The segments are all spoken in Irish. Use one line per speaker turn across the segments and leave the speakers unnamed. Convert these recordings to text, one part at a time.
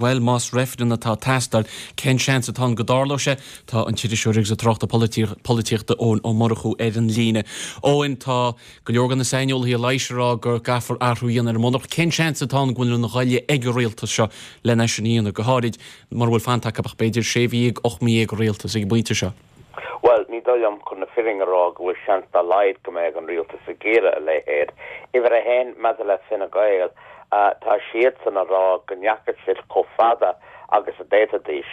bhuel, más reifreann atá ag teastáil, cén seans atá ann go dtarlóidh sé? Tá an t-iriseoir agus an tráchtaire polaitíochta Eoin Ó Murchú ar an líne. Eoin, tá go leor de na saineolaithe leighis ag rá go gcaithfear athrú a dhéanamh ar an mBunreacht. Cén seans atá ann go bhfuil an ghoile ag an rialtas seo lena sin a dhéanamh, go háirid mura bhfuil fanta acu ach b'fhéidir sé mhí dhéag, 18 mí i rialtas ag an bpointe seo?
Bhuel, ní dóigh liom, chun na fírinne a rá, go bhfuil seans dá laghad go mbeadh an rialtas ag iarraidh a leithéid. Uimhir a haon, maidir le Fine Gael, tá siadsan a rá go ndeachaigh siad chomh fada agus a d'fhéadfaidís,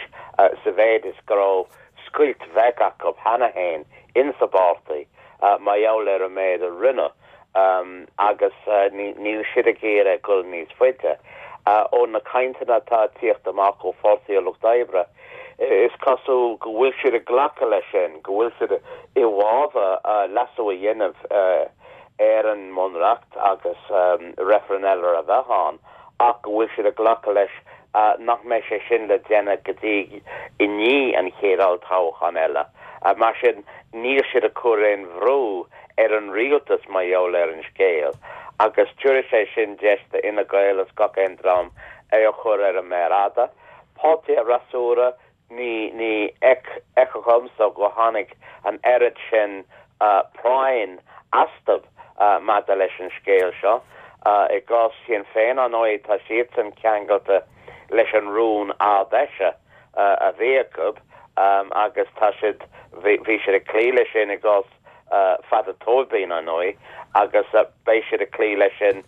sa mhéid is go raibh scoilt bheag acu cheana féin insa bpáirtí mar gheall ar an méid a rinneadh. agus níl siad ag iarraidh dul níos faide. Ó na cainteanna atá ag tíocht amach ó Pháirtí an Lucht Oibre, is cosúil go bhfuil siad ag glacadh leis sin, go bhfuil siad i bhfabhar leasú a dhéanamh ar an mBunreacht agus reifreann eile a bheith ann, ach go bhfuil siad ag glacadh leis nach mbeidh sé sin le déanamh go dtí i ndiaidh an chéad olltoghchán eile. Mar sin, níl siad ag cur aon bhrú ar an rialtas mar gheall ar an scéal agus tabharfaidh sé sin deis do Fhine Gael is gach aon dream é a chur ar an méar fhada. Páirtí an fhreasúra, ní ní fheictear dhomsa go tháinig an oiread sin práinn astu maidir leis an scéal seo. I gcás Shinn Féin, ar ndóigh, tá siadsan ceangailte leis an rún Ard-Fheise a bhí acu agus tá siad, bhí siad ag cloí leis sin i gcás Pheadar Tóibín, ar ndóigh, agus beidh siad ag cloí leis sin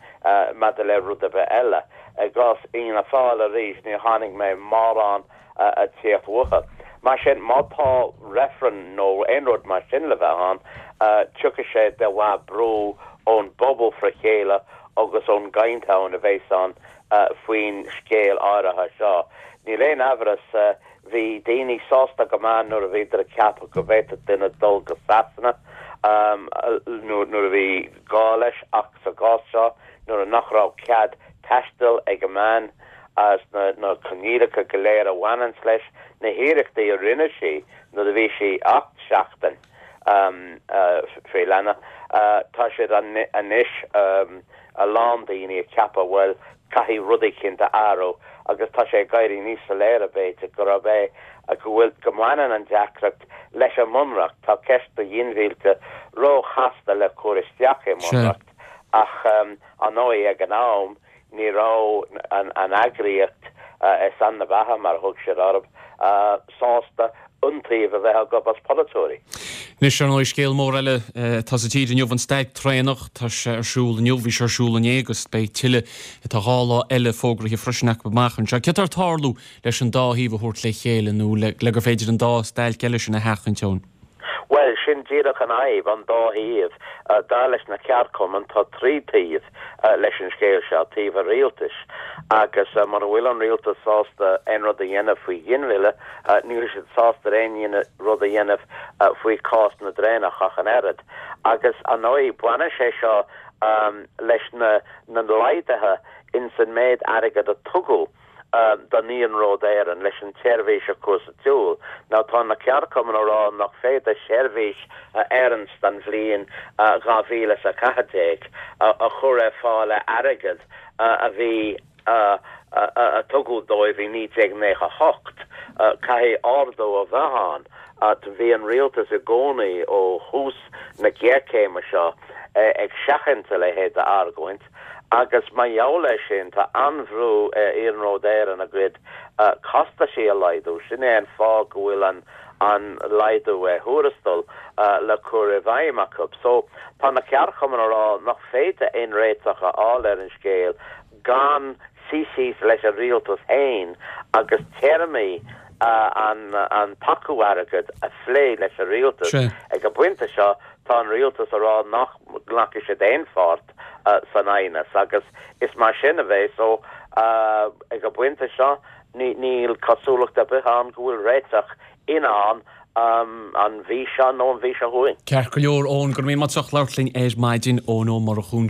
maidir le rud ar bith eile. I gcás Fhianna Fáil arís, níor chonaic mé mórán ag tíocht uathu. Mar sin, má tá reifreann nó aon rud mar sin le bheith ann, tiocfaidh sé de bharr brú ón bpobal fré chéile agus ón gcaint ann a bheas ann faoin scéal áirithe seo. Níl aon amhras, bhí daoine sásta go maith nuair a bhíodar ag ceapadh go bhféadfadh duine dul go Sasana nuair a bhí gá leis ach sa gcás seo nuair nach raibh cead taistil ag an mbean agus na coinníollacha go léir a bhaineanns leis, na hiarrachtaí a rinne sí nuair a bhí sí ach seachtain faoi leanbh, tá siad anois a lán daoine ag ceapadh, bhuel, caithfidh rud eicínt a athrú agus tá sé ag éirí níos soiléire, b'fhéidir, gurb é go bhfuil, go mbaineann an deacracht leis an mBunreacht. Tá ceist do ghinmhillte róchasta le cur isteach i mBunreacht ach, ar ndóigh, ag an am, ní raibh an eagraíocht ar son na beatha, mar a thug siad orthu, sásta iontaoibh a bheith acu as polaiteoirí.
Anois, ar ndóigh, scéal mór eile atá sa tír inniu, an stailc traenach. Tá sé ar siúl inniu, bhí sé ar siúl inné agus beidh tuilleadh, tá dhá lá eile fógraithe freisin acu amach anseo. Céard atá ag tarlú leis an dá thaobh a thabhairt le chéile nó le gur féidir an dá stailc eile sin a sheachaint, Eoin?
Bhuel, sin díreach an fhadhb, an dá thaobh. Dar leis na ceardchumainn, tá trí taobh leis an scéal seo, taobh an rialtais, agus mura bhfuil an rialtas sásta aon rud a dhéanamh faoi ghinmhilleadh, níl siad sásta aon rud a dhéanamh faoi chás na dtraenach ach an oiread. Agus, ar ndóigh, baineann sé seo leis na laghduithe ins an méid airgid a tugadh don Iarnród Éireann leis an tseirbhís a chur sa tsiúl. Now tá na ceardchumainn a rá nach féidir seirbhís a oireanns don bhliain 2014 a chur ar fáil le airgead a bhí a tugadh dóibh i 1998. Caithfidh ardú a bheith ann. Bhí an rialtas i gcónaí ó thús na géarchéime seo ag seachaint a leithéid d'argóint. Agus mar gheall air sin, tá an-bhrú ar Iarnród Éireann a gcuid costaisí a laghdú. Sin é an fáth go bhfuil an an laghdú ar thuarastal le cur i bhfeidhm acu. So, tá na ceardchumainn a rá nach féidir aon réiteach a fháil ar an scéal gan suí síos leis an rialtas féin agus téarmaí an an tacú airgid a phlé leis an rialtas. Ag an bpointe seo, tá an rialtas a rá nach nglacfaidh siad aon pháirt san aighneas agus is mar sin a bheidh so ag an bpointe seo níl cosúlacht ar bith ann go bhfuil réiteach i ndán an mhí seo nó an mhí seo chugainn.
Ceart go leor, Eoin, go raibh míle maith agat as labhairt linn ar maidin, Eoin Ó Murchú.